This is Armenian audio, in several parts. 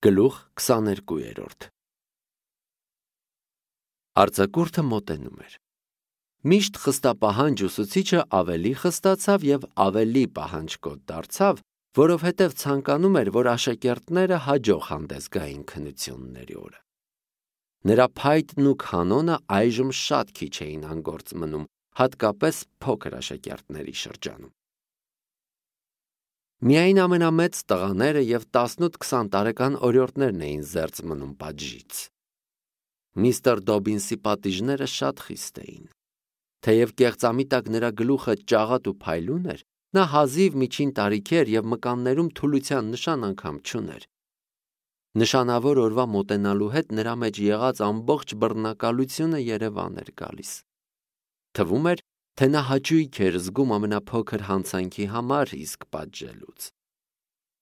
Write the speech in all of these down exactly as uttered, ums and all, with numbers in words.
Գլուխ քսաներկու։ Արձակուրդը մոտենում էր։ Միշտ խստապահանջ ուսուցիչը ավելի խստացավ և ավելի պահանջկոտ դարձավ, որովհետև ցանկանում էր, որ աշակերտները հաջող հանդես գային քննությունների օրը։ Նրա փայտն ու կանոնը այժմ շատ քիչ էին անգործ մնում, հատկապես փոքր աշակերտների շրջանում։ Միայն ամենամեծ տղաները և տասնութ-քսան տարեկան օրիորդներն էին զերծ մնում պատժից։ Միստր Դոբինսի պատիժները շատ խիստ էին։ Թեև կեղծամիտակ նրա գլուխը ճաղատ ու փայլուն էր, նա հազիվ միջին տարիքի էր և մկաններում թուլության նշան անգամ չուներ։ Նշանավոր օրվա մոտենալու հետ նրա մեջ եղած ամբողջ բռնակալությունը երևան էր գալիս։ Թվում էր, թե նա հաճույք էր զգում ամենափոքր հանցանքի համար իսկ պատժելուց։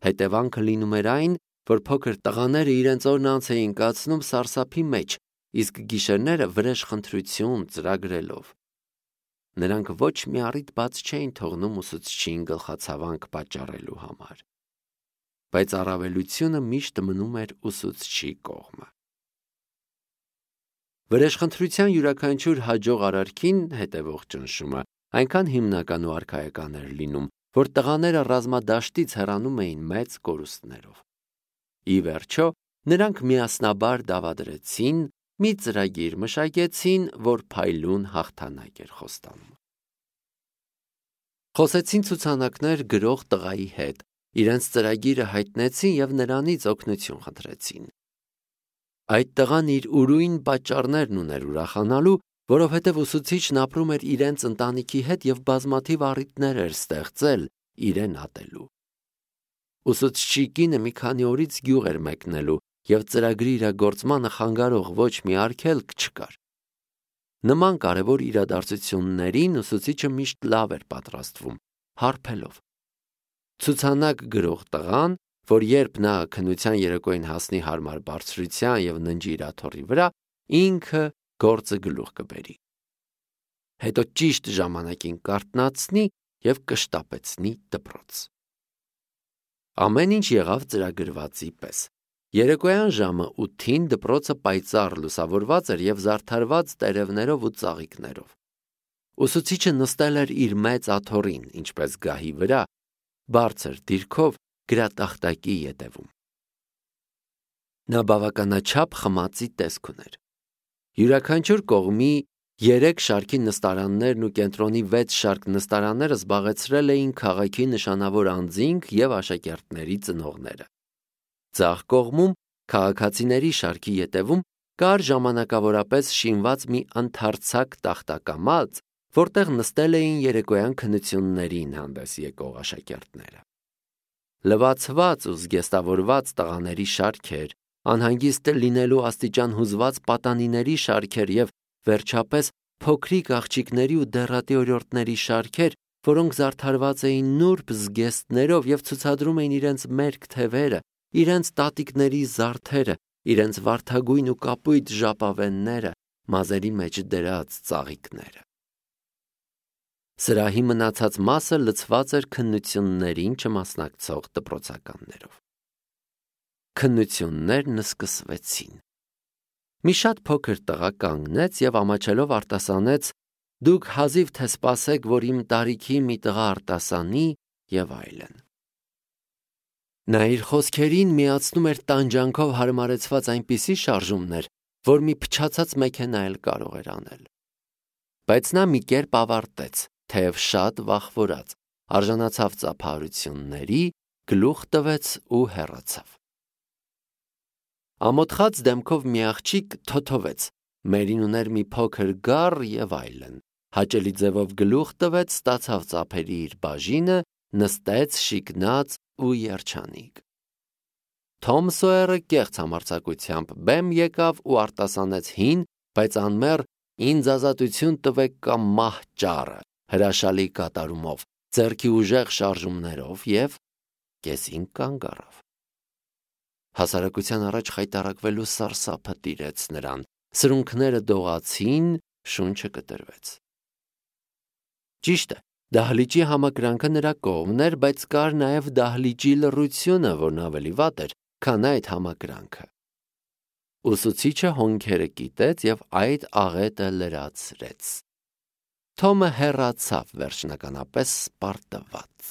Հետևանքը լինում էր այն, որ փոքր տղաները իրենց օրն անց էին կացնում սարսափի մեջ, իսկ գիշերները վրեժխնդրություն ծրագրելով։ Նրանք ոչ մի առիթ բաց չէին թողնում ուսուցչին գլխացավանք պատճառելու համար։ Բայց առավելությունը միշտ մնում էր ուսուցչի կողմը։ Վրեժխնդրության յուրաքանչյուր հաջող արարքին հետևող ճնշումը այնքան հիմնական ու արքայական էր լինում, որ տղաները ռազմադաշտից հեռանում էին մեծ կորուստներով։ Ի վերջո, նրանք միասնաբար դավադրեցին, մի ծրագիր մշակեցին, որ փայլուն հաղթանակ էր խոստանում։ Խոսեցին ցուցանակներ գրող տղայի հետ, իրենց ծրագիրը հայտնեցին և նրանից օգնություն խնդրեցին։ Այդ տղան իր ուրույն պատճառներն ուներ ուրախանալու, որովհետև ուսուցիչն ապրում էր իրենց ընտանիքի հետ և բազմաթիվ առիթներ էր ստեղծել իրեն ատելու։ Ուսուցչի կինը մի քանի օրից գյուղ էր մեկնելու և ծրագրի իրագործմանը խանգարող ոչ մի արգելք չկար։ Նման կարևոր իրադարձություններին ուսուցիչը միշտ լավ էր պատրաստվում, հարբելով։ Ցուցանակ գրող տղան, որ երբ նա քննության երեկոյին հասնի հարմար բարձրության և ննջի իր աթոռի վրա, ինքը գործը գլուխ կբերի։ Հետո ճիշտ ժամանակին կարթնացնի և կշտապեցնի դպրոց։ Ամեն ինչ եղավ ծրագրվածի պես։ Երեկոյան ժամը ութին դպրոցը պայծառ լուսավորված էր և զարդարված տերևներով ու ծաղիկներով։ Ուսուցիչը նստել էր իր մեծ աթոռին, ինչպես գահի վրա, բարձր դիրքով գրատախտակի ետևում։ Նա բավականաչափ խմածի տեսք ուներ։ Յուրաքանչյուր կողմի երեք շարքի նստարաններն ու կենտրոնի վեց շարք նստարանները զբաղեցրել էին քաղաքի նշանավոր անձինք և աշակերտների ծնողները։ Ձախ կողմում, քաղաքացիների շարքի ետևում, կար ժամանակավորապես շինված մի ընդարձակ տախտակամած, որտեղ նստել էին երեկոյան քննություններին հանդես եկող աշակերտները։ Լվացված ու զգեստավորված տղաների շարքեր, անհանգիստ լինելու աստիճան հուզված պատանիների շարքեր և, վերջապես, փոքրիկ աղջիկների ու դեռատի օրիորդների շարքեր, որոնք զարդարված էին նուրբ զգեստներով և ցուցադրում էին իրենց մերկ թևերը, իրենց տատիկների զարդերը, իրենց վարդագույն ու կապույտ ժապավենները, մազերի մեջ դրած ծաղիկները։ Սրահի մնացած մասը լցված էր քննություններին չմասնակցող դպրոցականներով։ Քննություններն սկսվեցին։ Մի շատ փոքր տղա կանգնեց և ամաչելով արտասանեց. «Դուք հազիվ թե սպասեք, որ իմ տարիքի մի տղա արտասանի» և այլն։ Նա իր խոսքերին միացնում էր տանջանքով հարմարեցված այնպիսի շարժումներ, որ մի փչացած մեքենա էլ կարող էր անել։ Բայց նա մի կերպ ավարտեց, թեև շատ վախվորած, արժանացավ ծափահարությունների, գլուխ տվեց ու հեռացավ։ Ամոթխած դեմքով մի աղջիկ թոթովեց, մերին ուներ մի փոքր գառ և այլն, հաճելի ձևով գլուխ տվեց, ստացավ ծափերի իր բաժինը, նստեց շիկնած ու երջանիկ։ Թոմ Սոյերը կեղծ համարձակությամբ բեմ եկավ ու արտասանեց հին, բայց անմեղ «Ինձ ազատություն տվեք կամ մահ ճառը» հրաշալի կատարումով, ձեռքի ուժեղ շարժումներով և կեսին կանգ առավ։ Հասարակության առաջ խայտառակվելու սարսափը տիրեց նրան, սրունքները դողացին, շունչը կտրվեց։ Ճիշտ է, դահլիճի համակրանքը նրա կողմն էր, բայց կար նաև դահլիճի լռությունը, որն ավելի վատ էր, քան այդ համակրանքը։ Ուսուցիչը հոնքերը կիտեց և այդ աղետը լրացրեց։ Թոմը հեռացավ վերջնականապես սպարտված։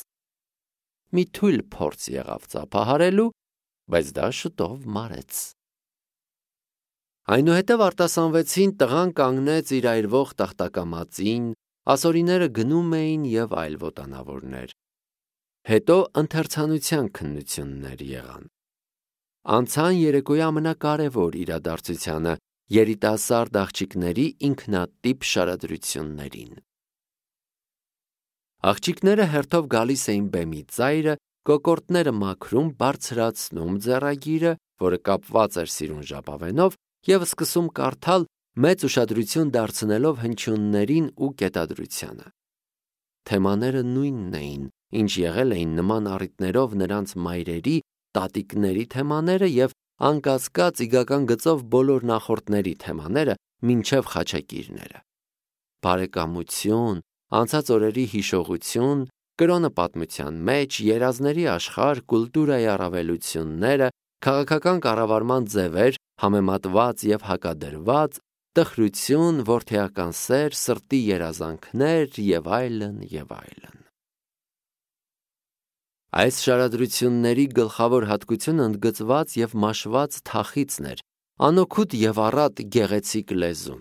Մի թույլ փորձ եղավ ծափահարելու, բայց դա շուտով մարեց։ Այնուհետև արտասանվեցին, տղան կանգնեց իր այրվող տախտակամածին, ասորիները գնում էին և այլ ոտանավորներ։ Հետո ընթերցանության քննություններ եղան։ Անցան երեկոյի ամենակարևոր իրադարձությանը՝ երիտասարդ աղջիկների ինքնատիպ շարադրություններին։ Աղջիկները հերթով գալիս էին բեմի ծայրը, կոկորդները մաքրում, բարձրացնում ձեռագիրը, որը կապված էր սիրուն ժապավենով, և սկսում կարդալ, մեծ ուշադրություն դարձնելով հնչյուններին ու կետադրությանը։ Թեմաները նույնն էին, ինչ եղել էին նման առիթներով նրանց մայրերի, տատիկների թեմաները և անկասկած իգական գծով բոլոր նախորդների թեմաները մինչև խաչակիրները։ Բարեկամություն, անցած օրերի հիշողություն, կրոնը պատմության մեջ, երազների աշխարհ, կուլտուրայի առավելությունները, քաղաքական կառավարման ձևեր, համեմատված և հակադրված, տխրություն, որդեական սեր, սրտի երազանքներ և այլն, և այլն։ Այս շարադրությունների գլխավոր հատկությունը ընդգծված և մաշված թախիծն էր, անօգուտ և առատ գեղեցիկ լեզուն։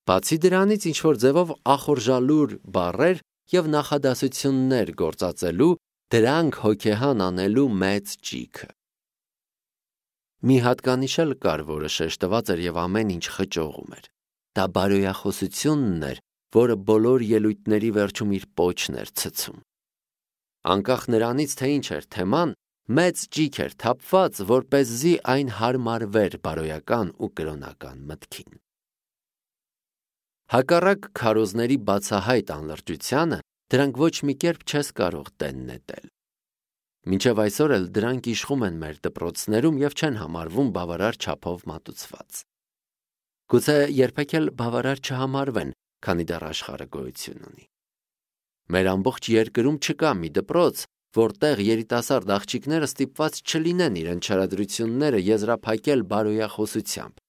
Բացի դրանից ինչ-որ ձևով ախորժալուր բառեր և նախադասություններ գործածելու, դրանք հոգեհան անելու մեծ ճիգը։ Մի հատկանիշ էլ կար, որը շեշտված էր և ամեն ինչ խճողում էր։ Դա բարոյախոսությունն էր, որը բոլոր ելույթների վերջում իր պոչն էր ցցում։ Անկախ նրանից, թե ինչ էր թեման, մեծ ճիգ էր թափված, որպեսզի այն հարմարվեր բարոյական ու կրոնական մտքին։ Հակառակ քարոզների բացահայտ անլրջությանը, դրանք ոչ մի կերպ չես կարող տեն նետել։ Մինչև այսօր էլ դրանք իշխում են մեր դպրոցներում և չեն համարվում բավարար չափով մատուցված։ Գուցե երբեք էլ բավարար չհամարվեն, քանի դեռ աշխարհը գոյություն ունի։ Մեր ամբողջ երկրում չկա մի դպրոց, որտեղ երիտասարդ աղջիկները ստիպված չլինեն իրենց շարադրությունները եզրափակել բարոյախոսությամբ։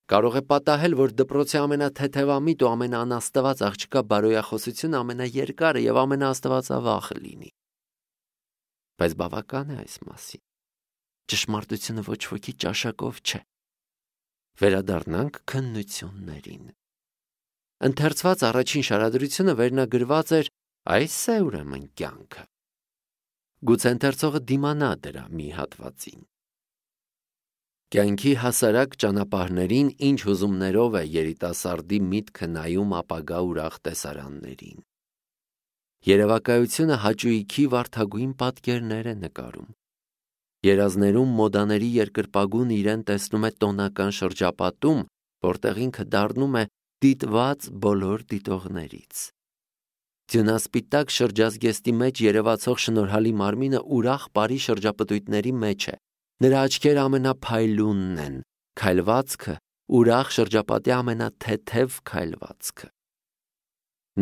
Կարող է պատահել, որ դպրոցի ամենաթեթևամիտ ու ամենաանաստված աղջկա բարոյախոսությունը ամենաերկարը և ամենաաստվածավախը լինի։ Բայց բավական է այս մասին։ Ճշմարտությունը ոչ ոքի ճաշակով չէ։ Վերադառնանք քննություններին։ Ընթերցված առաջին շարադրությունը վերնագրված էր «Այս է ուրեմն կյանքը»։ Գուցե ընթերցողը դիմանա դրա մի հատվածին։ Կյանքի հասարակ ճանապարհներին ինչ հուզումներով է երիտասարդի միտքը նայում ապագա ուրախ տեսարաններին։ Երևակայությունը հաճույքի վարդագույն պատկերներ է նկարում։ Երազներում մոդաների երկրպագուն իրեն տեսնում է տոնական շրջապատում, որտեղ ինքը դառնում է դիտված բոլոր դիտողներից։ Ձյունասպիտակ շրջազգեստի մեջ երևացող շնորհալի մարմինը ուրախ բարի շրջապտույտների մեջ է։ Նրա աչքերը ամենափայլունն են, քայլվածքը ուրախ շրջապատի ամենաթեթև քայլվածքը։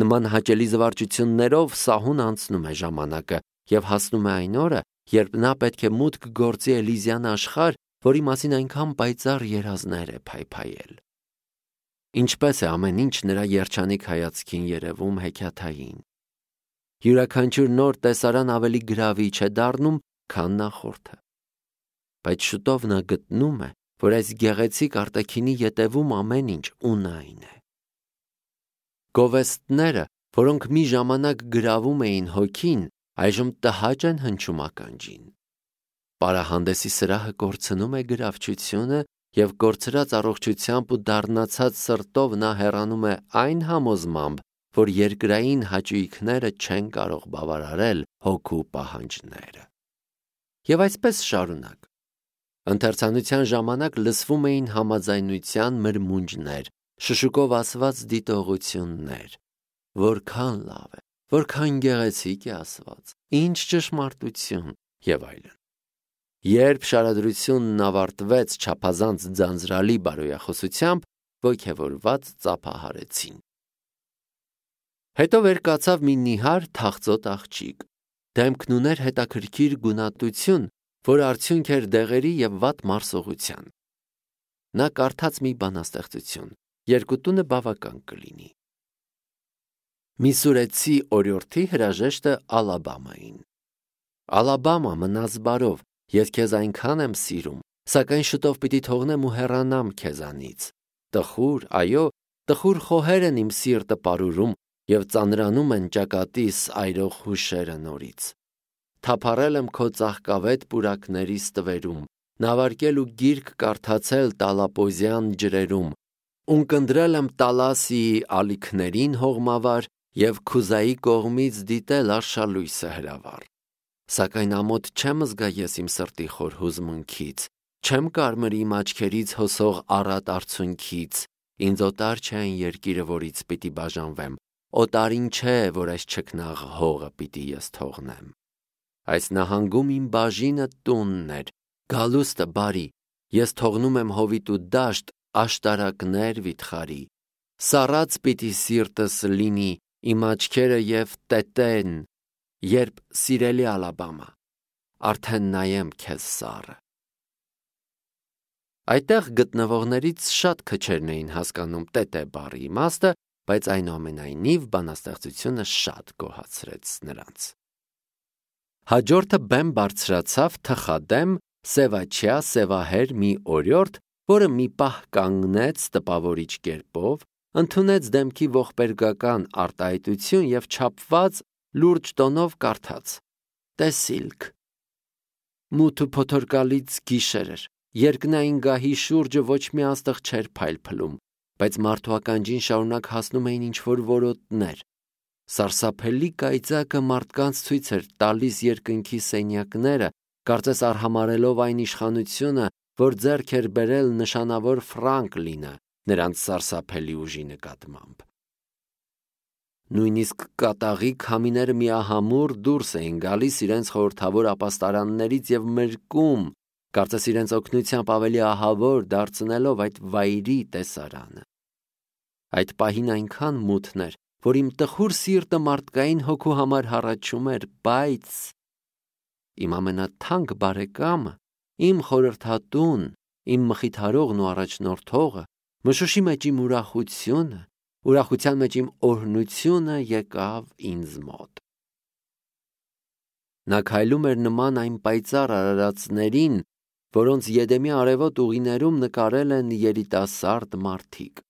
Նման հաճելի զվարճություններով սահուն անցնում է ժամանակը և հասնում է այն օրը, երբ նա պետք է մուտք գործի Էլիզյան աշխարհ, որի մասին այնքան պայծառ երազներ է փայփայել։ Ինչպես է ամեն ինչ նրա երջանիկ հայացքին երևում հեքիաթային։ Յուրաքանչյուր նոր տեսարան ավելի գրավիչ է դառնում, քան նախորդը։ Բայց շուտով նա գտնում է, որ այս գեղեցիկ արտաքինի ետևում ամեն ինչ ունայն է։ Գովեստները, որոնք մի ժամանակ գրավում էին հոգին, այժմ տհաճ են հնչում ականջին։ Պարահանդեսի սրահը կորցնում է գրավչությունը և կորցրած առողջությամբ ու դառնացած սրտով նա հեռանում է այն համոզմամբ, որ երկրային հաճույքները չեն կարող բավարարել հոգու պահանջները։ Եվ այսպես շարունակ։ Ընթերցանության ժամանակ լսվում էին համաձայնության մրմունջներ, շշուկով ասված դիտողություններ։ Որքան լավ է, որքան գեղեցիկ է ասված, ինչ ճշմարտություն և այլն։ Երբ շարադրությունն ավարտվեց չափազանց ձանձրալի բարոյախոսությամբ, ոգևորված ծափահարեցին։ Հետո վեր կացավ մի նիհար թախծոտ աղջիկ։ Դեմքն ուներ հետաքրքիր գունատություն, որ արդյունք էր դեղերի և վատ մարսողության։ Նա կարդաց մի բանաստեղծություն, երկու տունը բավական կլինի։ Միսուրեցի օրիորդի հրաժեշտը Ալաբամային։ Ալաբամա, մնաս բարով, ես քեզ այնքան եմ սիրում, սակայն շուտով պիտի թողնեմ ու հեռանամ քեզանից։ Տխուր, այո, տխուր խոհեր են իմ սիրտը պարուրում և ծանրանում են ճակատիս այրող հուշերը նորից։ Թափառել եմ քո ծաղկավետ պուրակների ստվերում, նավարկել ու գիրք կարդացել տալապոզյան ջրերում, ունկնդրել եմ Տալասիի ալիքներին հողմավար և Քուզայի կողմից դիտել արշալույսը հրավառ։ Սակայն ամոթ չեմ զգա ես իմ սրտի խոր հուզմունքից, չեմ կարմրի իմ աչքերից հոսող առատ արցունքից, ինձ օտար չէ այն երկիրը, որից պիտի բաժանվեմ, օտարին չէ, որ այս չքնաղ հողը պիտի ես թողնեմ։ Այս նահանգում իմ բաժինը տունն էր, գալուստը բարի, ես թողնում եմ հովիտ ու դաշտ, աշտարակներ վիթխարի։ Սառած պիտի սիրտս լինի, իմ աչքերը և տետեն, երբ սիրելի Ալաբամա, արդեն նայեմ քեզ սառը։ Այդտեղ գտնվողներից շատ քչերն էին հասկանում տետե բառի իմաստը, բայց այնուամենայնիվ բանաստեղծությունը շատ գոհացրեց նրանց։ Հաջորդը բեմ բարձրացավ թխադեմ, սևաչյա, սևահեր մի օրիորդ, որը մի պահ կանգնեց տպավորիչ կերպով, ընդունեց դեմքի ողբերգական արտահայտություն և չափված լուրջ տոնով կարդաց. Տեսիլք։ Մութ ու փոթորկալից գիշեր էր, երկնային գահի շուրջը ոչ մի աստղ չէր փայլփլում, բայց մարդու ականջին շարունակ հասնում էին ինչ-որ որոտներ։ Սարսափելի կայծակը մարդկանց ցույց էր տալիս երկնքի սենյակները, կարծես արհամարհելով այն իշխանությունը, որ ձեռք էր բերել նշանավոր Ֆրանկլինը նրանց սարսափելի ուժի նկատմամբ։ Նույնիսկ կատաղի քամիները միահամուռ դուրս էին գալիս իրենց խորհրդավոր ապաստարաններից և մրկում, կարծես իրենց օգնությամբ ավելի ահավոր դարձնելով այդ վայրի տեսարանը։ Այդ պահին այնքան մութն էր, որ իմ տխուր սիրտը մարդկային հոգու համար հառաչում էր, բայց իմ ամենաթանկ բարեկամը, իմ խորհրդատուն, իմ մխիթարողն ու առաջնորդողը, մշուշի մեջ իմ ուրախությունը, ուրախության մեջ իմ օրհնությունը եկավ ինձ մոտ։ Նա քայլում էր նման այն պայծառ արարածներին, որոնց Եդեմի արևոտ ուղիներում նկարել են երիտասարդ մարդիկ։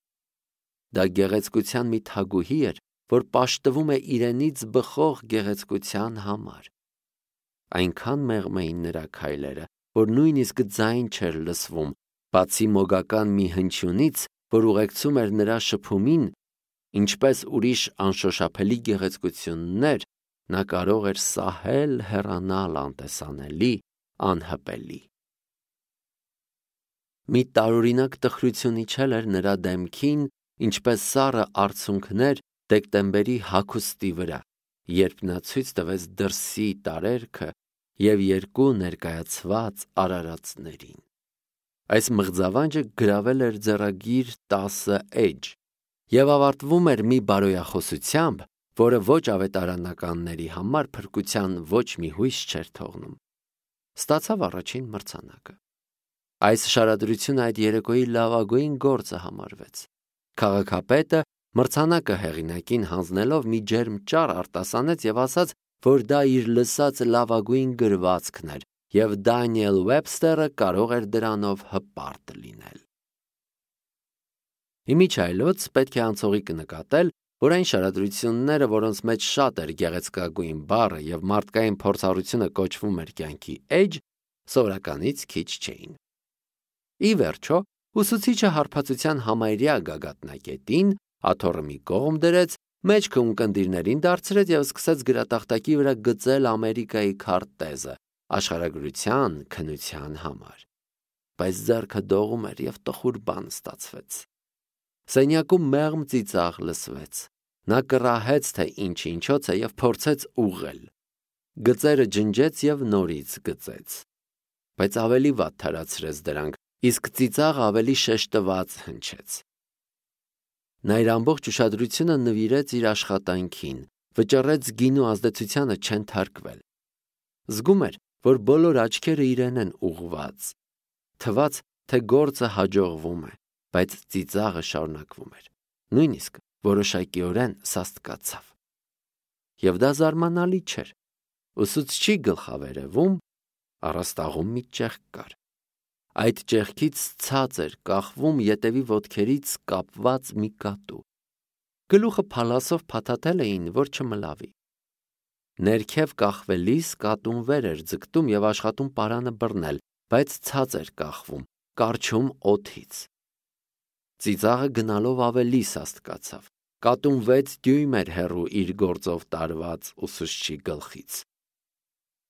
Դա գեղեցկության մի թագուհի էր, որ պաշտվում է իրենից բխող գեղեցկության համար։ Այնքան մեղմ էին նրա քայլերը, որ նույնիսկ ձայն չէր լսվում, բացի մոգական մի հնչյունից, որ ուղեկցում էր նրա շփումին, ինչպես ուրիշ անշոշափելի գեղեցկություններ, նա կարող էր սահել հեռանալ անտեսանելի, անհպելի։ Մի տարօրինակ տխրություն իջել էր նրա դեմքին, ինչպես սառը արցունքներ դեկտեմբերի հագուստի վրա, երբ նա ցույց տվեց դրսի տարերքը և երկու ներկայացված արարածներին։ Այս մղձավանջը գրավել էր ձեռագիր տասը էջ և ավարտվում էր մի բարոյախոսությամբ, որը ոչ ավետարանականների համար փրկության ոչ մի հույս չէր թողնում։ Ստացավ առաջին մրցանակը։ Այս շարադրությունը այդ երեկոյի լավագույն գործը համարվեց։ Քաղաքապետը մրցանակը հեղինակին հանձնելով մի ջերմ ճառ արտասանեց և ասաց, որ դա իր լսած լավագույն գրվածքն էր, և Դանիել Ուեբստերը կարող էր դրանով հպարտ լինել։ Իմիջայլոց պետք է անցողիկ նկատել, որ այն շարադրությունները, որոնց մեջ շատ էր գեղեցկագույն բառը և մարդկային փորձառությունը կոչվում էր կյանքի էջ, սովորականից քիչ չէին։ Ի վերջո, ուսուցիչը հարբածության համարյա գագաթնակետին աթոռը մի կողմ դրեց, մեջքը ունկնդիրներին դարձրեց և սկսեց գրատախտակի վրա գծել Ամերիկայի քարտեզը աշխարհագրության քննության համար։ Բայց ձեռքը դողում էր և տխուր բան ստացվեց։ Սենյակում մեղմ ծիծաղ լսվեց։ Նա կռահեց, թե ինչ ինչոց է և փորձեց ուղղել։ Գծերը ջնջեց և նորից գծեց։ Բայց ավելի վատ թարացրեց դրանք, իսկ ծիծաղը ավելի շեշտված հնչեց։ Նա իր ամբողջ ուշադրությունը նվիրեց իր աշխատանքին, վճռեց գինու ազդեցությանը չենթարկվել։ Զգում էր, որ բոլոր աչքերը իրեն են ուղված։ Թվաց, թե գործը հաջողվում է, բայց ծիծաղը շարունակվում էր։ Նույնիսկ որոշակիորեն սաստկացավ։ Եվ դա զարմանալի չէր։ Ուսուցչի գլխավերևում առաստաղում մի ճեղք կար։ Այդ ճեղքից ցած էր կախվում ետևի ոտքերից կապված մի կատու։ Գլուխը փալասով փաթաթել էին, որ չմլավի։ Ներքև կախվելիս կատուն վեր էր ձգտում և աշխատում պարանը բռնել, բայց ցած էր կախվում, կառչում օդից։ Ծիծաղը գնալով ավելի սաստկացավ։ Կատուն վեց դյույմ էր հեռու իր գործով տարված ուսուցչի գլխից։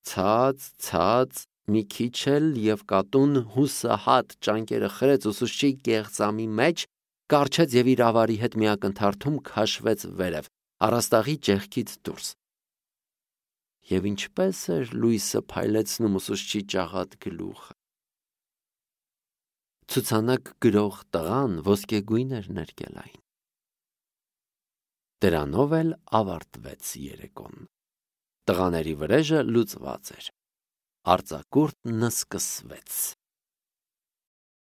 Ցած, ցած, մի քիչ էլ և կատուն հուսահատ ճանկերը խրեց ուսուցչի կեղծամի մեջ, կառչեց և իր ավարի հետ մի ակնթարթում քաշվեց վերև, առաստաղի ճեղքից դուրս։ Եվ ինչպես էր լույսը փայլեցնում ուսուցչի ճաղատ գլուխը։ Ցուցանակ գրող տղան ոսկեգույն էր ներկել այն։ Դրանով էլ ավարտվեց երեկոն։ Տղաների վրեժը լուծված էր։ Արձակուրդն սկսվեց։